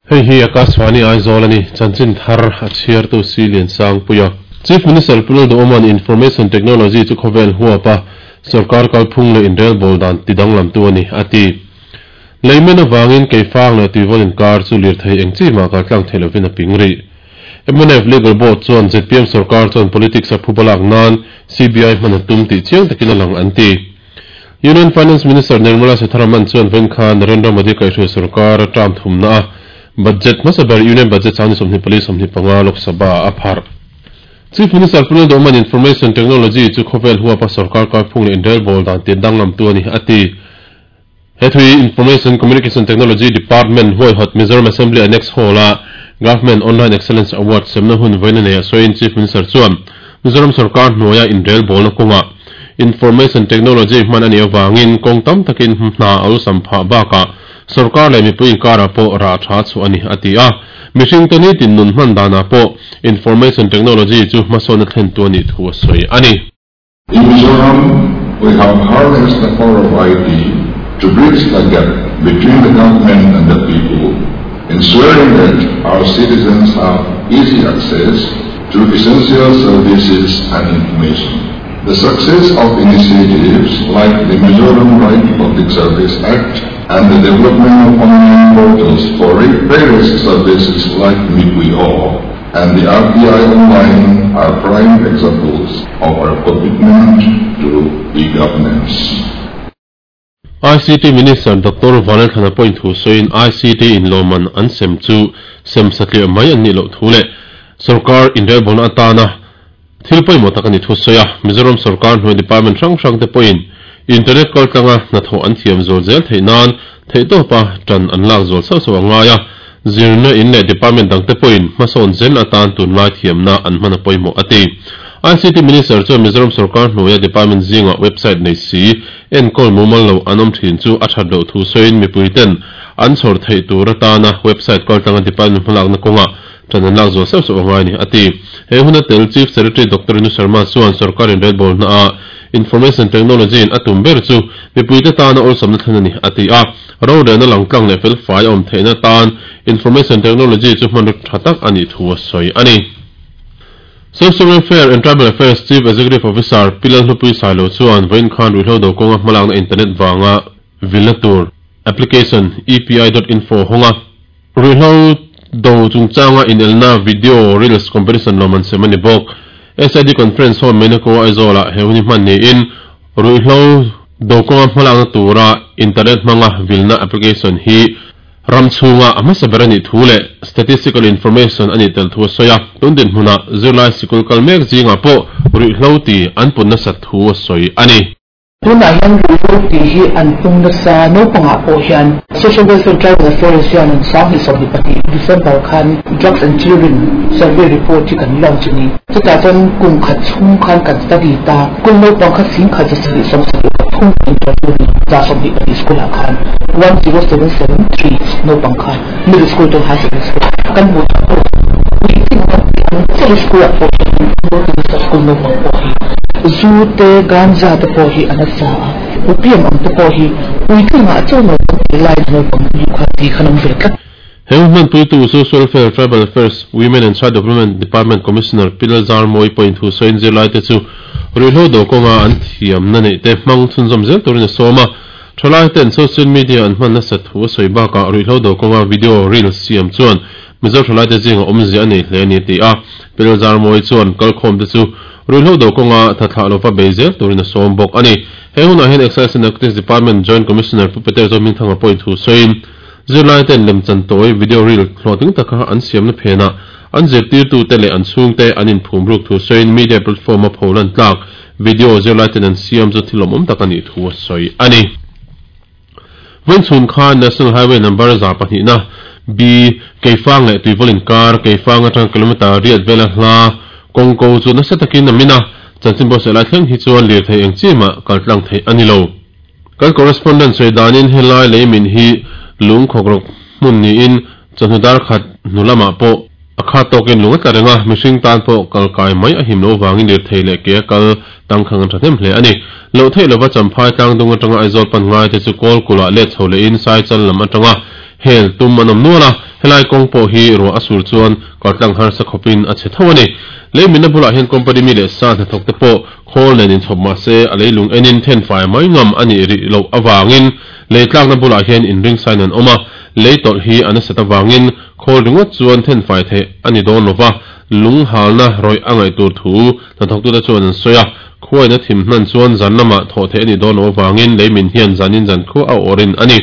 Hei hi Akashvani Aizawl a ni, chanchin thar a chhiartu Si Liansangpuia. Chief Minister Pu Lalduhoma'n Information Technology chu khawvel huapa sorkar kalphung leh inrelbawl dan tidanglamtu a ni, a ti. Leimen avangin Keifang leh Tuivawl inkar chu lirthei eng chi mah kaltlang thei lovin a ping rih. Mnf Legal Board chuan zpm sorkar chuan politics a phuba lak nan CBI hman a tum tih chiang takin a lang an ti. Union Finance Minister Nirmala Sitharaman chuan vawiin khan Narendra Modi kaihhruai sorkar a term thumna a budget hmasa ber Union Budget 2024 25 Lok Sabha a pharh. Chief Minister Pu Lalduhman Information Technology chu khawvel huapa sorkar kalphung leh inrelbawl dan tir danglamtu a ni a ti. He thui Information Communication Technology Department huaihawt Mizoram Assembly Annex Hall-a Government Online Excellence Award semna hun vawiin a nei a sawiin Chief Minister chuan Mizoram sorkar hnuaia inrelbawlna kawngah Information Technology hman a nih avangin kawng tam takin hna a awlsam phah bakah sorkar leh mipui inkarah pawh rah tha chhuah a ni a ti a. Mihringte nitin nun hman danah pawh Information Technology chu hmasawnna thlentu a nih thu a sawi a ni. In Mizoram, we have harnessed the power of IT to bridge the gap between the government and the people, ensuring that our citizens have easy access to essential services and information. The success of initiatives like the Mizoram Right to Public Service Act and the development of online portals for various services like Mipui Aw and the RTI Online are prime examples of our commitment to e-governance. ICT Minister Doctor Vanlalthlana pawhin thu sawiin ICT in lawmman an sem chu sem satliah mai an nih loh thu leh sorkar inrelbawlna atana thil pawimawh tak a ni thu sawi a. Mizoram sorkar hnuai department hrang hrang te pawhin internet kaltlanga hnathawh an thiam zual zel theih nan theihtawpa tan an lak zual sauh sauh a ngai a. Zirna in leh department dangte pawhin hmasawn zel atan tunlai thiamna an hman a pawimawh a ti. ICT Minister chuan Mizoram sorkar hnuaia department zingah website nei si enkawl mumal lo an awm thin chu a that loh thu sawiin mipuiten an chhawr theih tur atana website kaltlanga department hmalakna kawngah tan an lak zual sauh sauh a ngai a ni a ti. He huna tel Chief Secretary Doctor Rinu Sharma chuan sorkar inrelbawl hnaah Information Technology in a tum ber chu mipuite tana awlsamna thlen a ni a ti a. Rorelna langtlang leh felfai a awm theihna tan Information Technology chu hmanraw tha tak a nih thu a sawi a ni. Social Welfare and Tribal Affairs Chief Executive Officer Pi Lalhlupui Sailo chuan vawiin khan ruihhlo do kawnga hmalakna internet vanga vilna tur application epi.info hawnga ruihhlo do chungchanga inelna video reels competition lawm an sem a ni bawk. SID Conference Hall Menako Aizawl-ah he hun hi hman niin Ruihhlo do kawnga hmalakna tura internet hmanga vilna application hi ram chhunga a hmasa ber a nih thu leh statistical information a nih tel thu a sawi a. Tun dinhmunah zirlai sikul kal mek zingah pawh ruihhlo ti an pun nasat thu a sawi a ni. Tunah hian ruihhlo ti hi an pung nasa naupangah pawh hian Social Welfare Tribal Affairs hian an 2022 December khan Drugs and Children Survey Report hi kan launch a ni. Chutah chuan kum khat chhung khan kan study ta. School naupang kha 1773 interview ni 122 school ah khan 10773 naupang kha middle school to high secondary school kan hmuh tak pawh puitling an tih ang chiah hi school ah pawh hian an school naupang pawh hi zu te ganja te pawh hi an a sa a opium ang te pawh hi puitling ah chuan naupang tih lai naupang hi kha ti khan awm ve tlat. He hmanpuitu Social Welfare, Tribal Affairs, Women and Child Development Department Commissioner Pi Lalzarmawi pawhin thu sawiin zirlaite chu ruihhlo do kawnga an thiamna neihte hmang chhunzawm zel turin a sawm a. Thalaite'n social media an hman nasat thu a sawi bakah ruihhlo do kawnga video reels siam chuan Mizo thalaite zinga awmzia a nei hle a ni a ti a. Pi Lalzarmawi chuan kalkhawmte chu ruihhlo do kawnga thathlah lova bei zel turin a sawm bawk a ni. He hunah hian Excise and Narcotics Department Joint Commissioner Pu Peter Zohmingthanga pawhin thu sawiin, Zirlaite'n lemchan tawi video reel hlawhtling taka an siamna phenah an zirtirtute leh an chhungte an inphum ruk thu sawiin media platform-a pholan tlak video zirlaite'n an siam chu thil awmawm tak a nih thu a sawi a ni. Vawiinchhun khan National Highway number 200 na B Keifang leh Tuivawl inkar Keifang atanga kilometre riat vela hla kawng ko chu nasa takin a min a, chanchin buatsaih lai thleng hi chuan lirthei eng chi mah kaltlang theih a ni lo. Kan correspondent sawi danin helai lei min hi lung khawkrawk hmun niin chawhnu dar khat hnu lamah pawh a khat tawkin lung a tla reng a, mihring tan pawh kal kai mai a him loh vangin lirthei leh ke a kal tangkhang an thahnem hle a ni. Loh theih lova Champhai tlangdung atanga Aizawl pan ngai te chu Kawlkulh ah let chho lehin Saichal lam atanga hel tum an awm nual a, helai kawng pawh hi ruah a sur chuan kaltlang harsa khawpin a chhe tho a ni. Lei minna bulah hian company mi leh sa hnathawk te pawh khawl nen inchhawp mah se a leilung enin thenfai mai ngam a nih rih loh avangin lei tlakna bulah hian inring sain an awm a, lei tawlh hi a nasat avangin khawl ringawt chuan thenfai theih a ni dawn lova, lung halna rawih a ngaih tur thu hnathawktute chuan an sawi a. Khuain a thim hnan chuan zan lamah thawh theih a nih dawn loh avangin lei min hian zanin zan khuah a awrin a ni.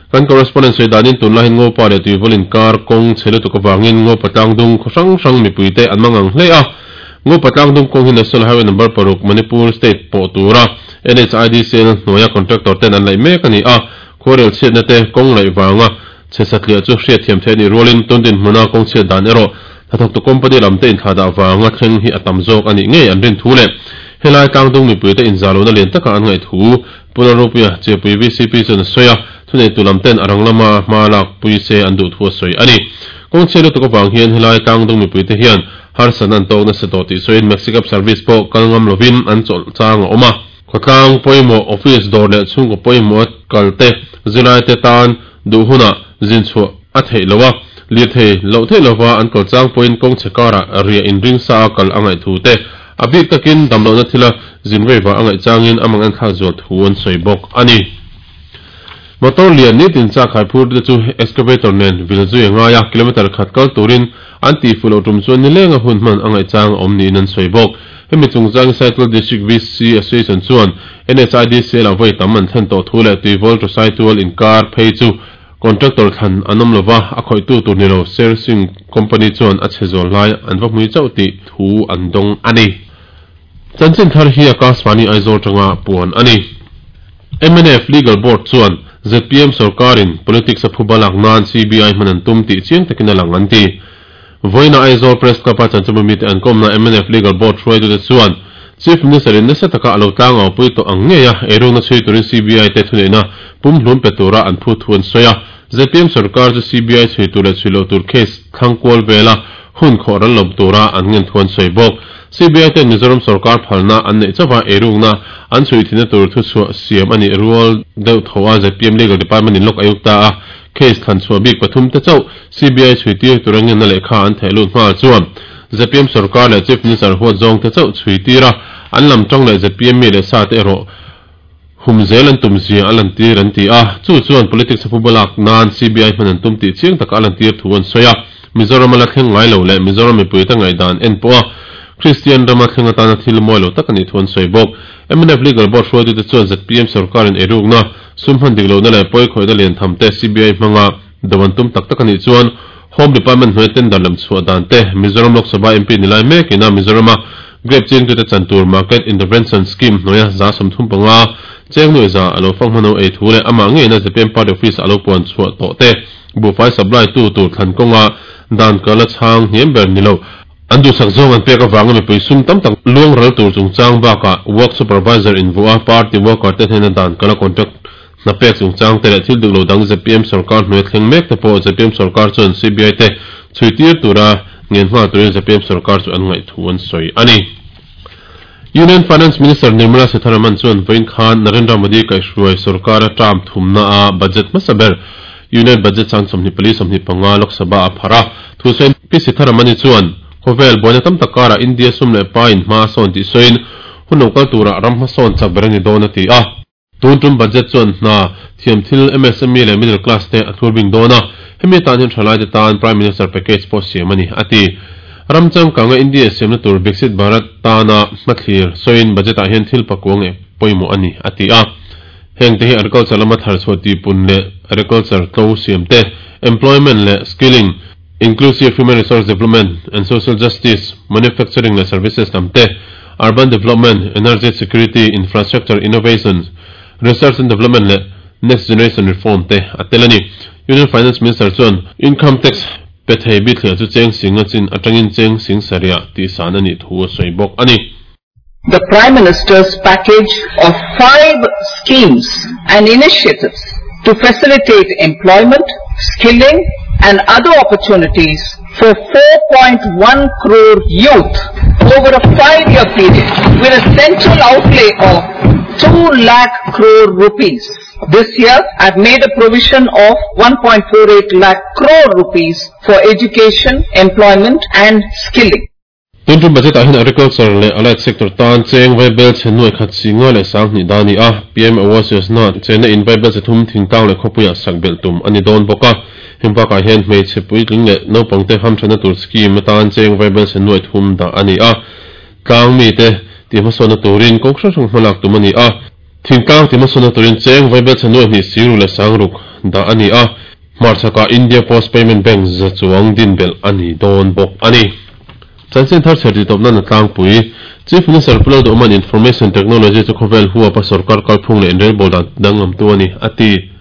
Kan correspondent sawi danin tunlai hian Ngopa leh Tuivawl inkar kawng chhe lutuk avangin Ngopa tlangdung khaw hrang hrang mipuite an mangang hle a. Ngopa tlangdung kawng hi National Highway number paruk Manipur State pawh tura NHIDCL hnuaia contractor ten an laih mek a ni a. Khuarel chhiatna te kawng laih vanga chhe satliah chu hriatthiam theih a nih rualin tun dinhmuna kawng chhiat dan erawh hnathawktu company lam te inthlahdah vanga thleng hi a tam zawk a nih ngei an rin thu leh helai tlangdung mipuite inzahlohna lian taka an ngaih thu Pu Lalropuia, Chepui VCP chuan a sawi a, thuneitu lam ten a rang lama hma lak pui se an duh thu a sawi a ni. Kawng chhiat lutuk avang hian helai tlangdung mipuite hian harsatna an tawk nasa tawh tih sawiin Maxi Cab service pawh kal ngam lovin an chawlh chang a awm a. Khawtlang pawimawh, office dawr leh chhungkaw pawimawh a kal te, zirlaite tan duh hunah zin chhuah a theih loh a, lirthei loh theih lova an kal chang pawhin kawng chhe karah riah inring sa a kal a ngaih thu te, A bik takin damlohna thila zin rei vah a ngaih changin a mang enthlak zual thu an sawi bawk a ni. Motor lian nitin chak khai phur te chu excavator nen vil zui a ngai a, kilometre khat kal turin an tih fuh loh tum chuan nilenga hun hman a ngaih chang a awm niin an sawi bawk. Hemi chungchangin Saitual District VC Association chuan NHIDCL ah vawi tam an thlen tawh thu leh Tuivawl to Saitual inkar phei chu Contractor thlan an awm lova, a khawihtu tur ni lo Sher Singh Company chuan a chhe zual lai an va hmui chauh tih thu an dawng a ni. Chanchin thar hi Akashvani Aizawl tanga puan a ni. Mnf Legal Board chuan zpm sorkarin politics a phuba lak nan CBI hman an tum tih chiang takin a lang an ti. Vawiina Aizawl Press Club-a chanchinbu mite an kawmna mnf Legal Board hruaitute chuan Chief Minister-in nasa taka a lo tlangaupui tawh ang ngei a, eirukna chhui turin CBI te thuneihna pumhlum pe tura an phut thu an sawi a. Zpm sorkar chu CBI chhui tur leh chhui loh tur case thlang kual vela hun khawh ral lawm tura an ngen thu an sawi bawk. CBI ten Mizoram sorkar phalna an neih chauh a, eirukna an chhui thinna tur thuchhuah siam a nih rual deuh tho a zpm Legal Department-in lawk a iuk ta a. Case thlan chhuah bik pathum te chauh CBI chhui tir tura ngenna lehkha an theh lut nghal chuan zpm sorkar leh Chief Minister huat zawng te chauh chhui tir a, an lam tawng leh zpm mi leh sa te erawh hum zel an tum zia a lantir an ti a, chu chuan politics a phuba lak nan CBI hman an tum tih chiang taka a lantir thu an sawi a. Mizoram a la thleng ngai lo leh Mizoram mipuite ngaihdan en pawh a Kristian rama thleng atana thil mawi lo tak a nih thu an sawi bawk. Mnf Legal Board hruaitute chuan zpm sorkarin eirukna, sum hman dik lohna leh pawi khawihna lian tham te CBI hmanga do an tum tak tak a nih chuan Home Department hnuai tender lam chhuah dan te, Mizoram Lok Sabha MP ni lai mekin a Mizorama Grape chingtute chan tur Market Intervention Scheme hnuaia 35% cheng nuih za a lo fang hmano ei thu leh amah ngeina zpm Party Office a lo puan chhuah tawh te, buhfai supply tu tur thlan kawnga dan kal a chhang hniam ber ni lo. An duhsak zawng an pek avanga mipui sum tam tak luang ral tur chungchang bakah Work Supervisor invuah a party worker te hnena dan kala contract hna pek chungchang te leh thil dik lo dang zpm sorkar hnuai thleng mek te pawh zpm sorkar chuan CBI te chhui tir tura ngen nghal turin zpm sorkar chu an ngaih thu an sawi a ni. Union Finance Minister Nirmala Sitharaman chuan vawiin khan Narendra Modi kaihhruai sorkara term thumna a budget hmasa ber Union Budget sang 24 25 Lok Sabha a pharh a. Thusawi Pi Sitharamani chuan khawvel buaina tam tak karah India sum leh pa in hma a sawn tih sawiin hun lo kal turah ram hmasawn chak ber a ni dawn a ti a. Tun tum budget chuan hna thiam thil MSME leh middle class te a thlur bing dawn a, hemi atan hian thalaite tan Prime Minister package pawh siam a ni, a ti. Ram changkanga India siamna tur Viksit Bharat tana hmathlir sawiin budget ah hian thil pakuang eh pawimawh a ni, a ti a. Heng te hi agriculture lama thar chhuah tihpun leh agriculture tlo siam te, employment leh skilling, inclusive human resource development and social justice, manufacturing leh services lam te, urban development, energy security, infrastructure innovation, research and development leh next generation reform te a tel a ni. Union Finance Minister chuan income tax pe thei bithliah chu cheng sing a chin atangin cheng sing sarih tihsan a nih thu a sawi bawk a ni. The Prime Minister's package of five schemes and initiatives to facilitate employment, skilling and other opportunities for 4.1 crore youth over a five-year period with a central outlay of 2 lakh crore rupees. This year, I've made a provision of 1.48 lakh crore rupees for education, employment and skilling. Tun tum budget ah hian Agriculture leh Allied Sector tan cheng vaibel chhe nuai khat si nga leh sang hnih dah a ni a, PM Awas Yojana chenna in vaibel chhe thum thingtlang leh khawpuiah sak belh tum a ni dawn bawk a. Heng bakah hian hmeichhe puitling leh naupangte hamthatna tur scheme atan cheng vaibel chhe nuai thum dah a ni a, tlang mite tihhmasawnna turin kawng hrang hrang hmalak tum a ni a. Thingtlang tihhmasawnna turin cheng vaibel chhe nuai hnih siruk leh sangruk dah a ni a, hmarchhakah India Post Payment Bank za chuang din belh a ni dawn bawk a ni. Chanchin thar chher tih tawpna na tlangpui, Chief Minister Pu Lalduhman Information Technology chu khawvel huapa sorkar kalphung leh inrelbawl dan danglamtu a ni, a ti.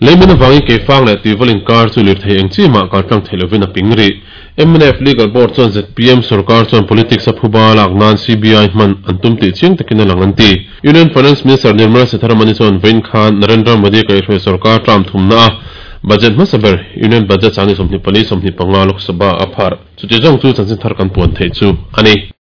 Leimin avangin Keifang leh Tuival inkar chu lirthei eng chi mah kaltlang thei lovin a ping rih. Mnf Legal Board chuan zpm sorkar chuan politics a phuba lak nan CBI hman an tum tih chiang takin a lang an ti. Union Finance Minister Nirmala Sitharaman-i chuan vawiin khan Narendra Modi kaihhruai sorkar term thumna a budget hmasa ber Union Budget 2024 25 Lok Sabha a pharh. Chuti zawng chu chanchin thar kan puan theih chu a ni.